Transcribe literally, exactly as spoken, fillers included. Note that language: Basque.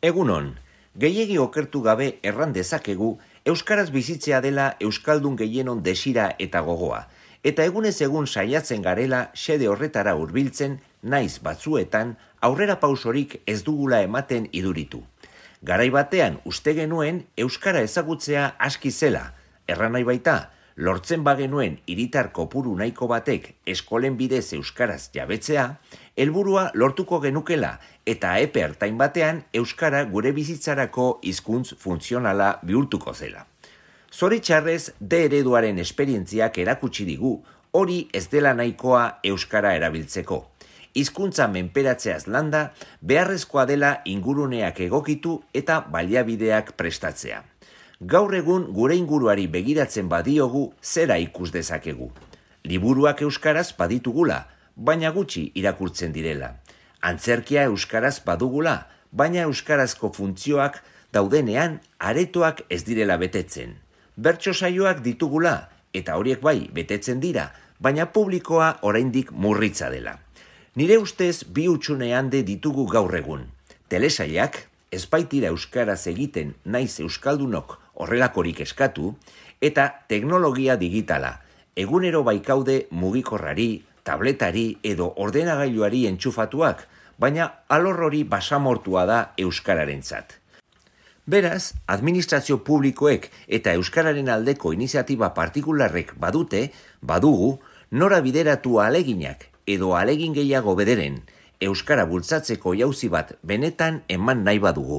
Egunon, gehiegi okertu gabe erran dezakegu euskaraz bizitzea dela euskaldun gehienon desira eta gogoa, eta egunez egun saiatzen garela xede horretara hurbiltzen, naiz batzuetan aurrera pausorik ez dugula ematen iduritu. Garai batean uste genuen euskara ezagutzea aski zela, erran nahi baita, lortzen bagenuen hiritar kopuru nahiko batek eskolen bidez euskaraz jabetzea, helburua lortuko genukela eta epe ertain batean euskara gure bizitzarako hizkuntz funtzionala bihurtuko zela. Zoritxarrez, D ereduaren esperientziak erakutsi digu hori ez dela nahikoa euskara erabiltzeko. Hizkuntza menperatzeaz landa, beharrezkoa dela inguruneak egokitu eta baliabideak prestatzea. Gaur egun gure inguruari begiratzen badiogu zera ikus dezakegu. Liburuak euskaraz baditugula, baina gutxi irakurtzen direla. Antzerkia euskaraz badugula, baina euskarazko funtzioak daudenean aretoak ez direla betetzen. Bertso saioak ditugula, eta horiek bai betetzen dira, baina publikoa oraindik murritza dela. Nire ustez bi hutsune hande ditugu gaur egun. Telesailak, ez baitira euskaraz egiten naiz euskaldunok horrelakorik eskatu, eta teknologia digitala, egunero baikaude mugikorrari, tabletari edo ordenagailuari entxufatuak, baina alor hori basamortua da euskararentzat. Beraz, administrazio publikoek eta euskararen aldeko iniziatiba partikularrek badute, badugu, nora bideratu aleginak edo alegin gehiago bederen, euskara bultzatzeko jauzi bat benetan eman nahi badugu.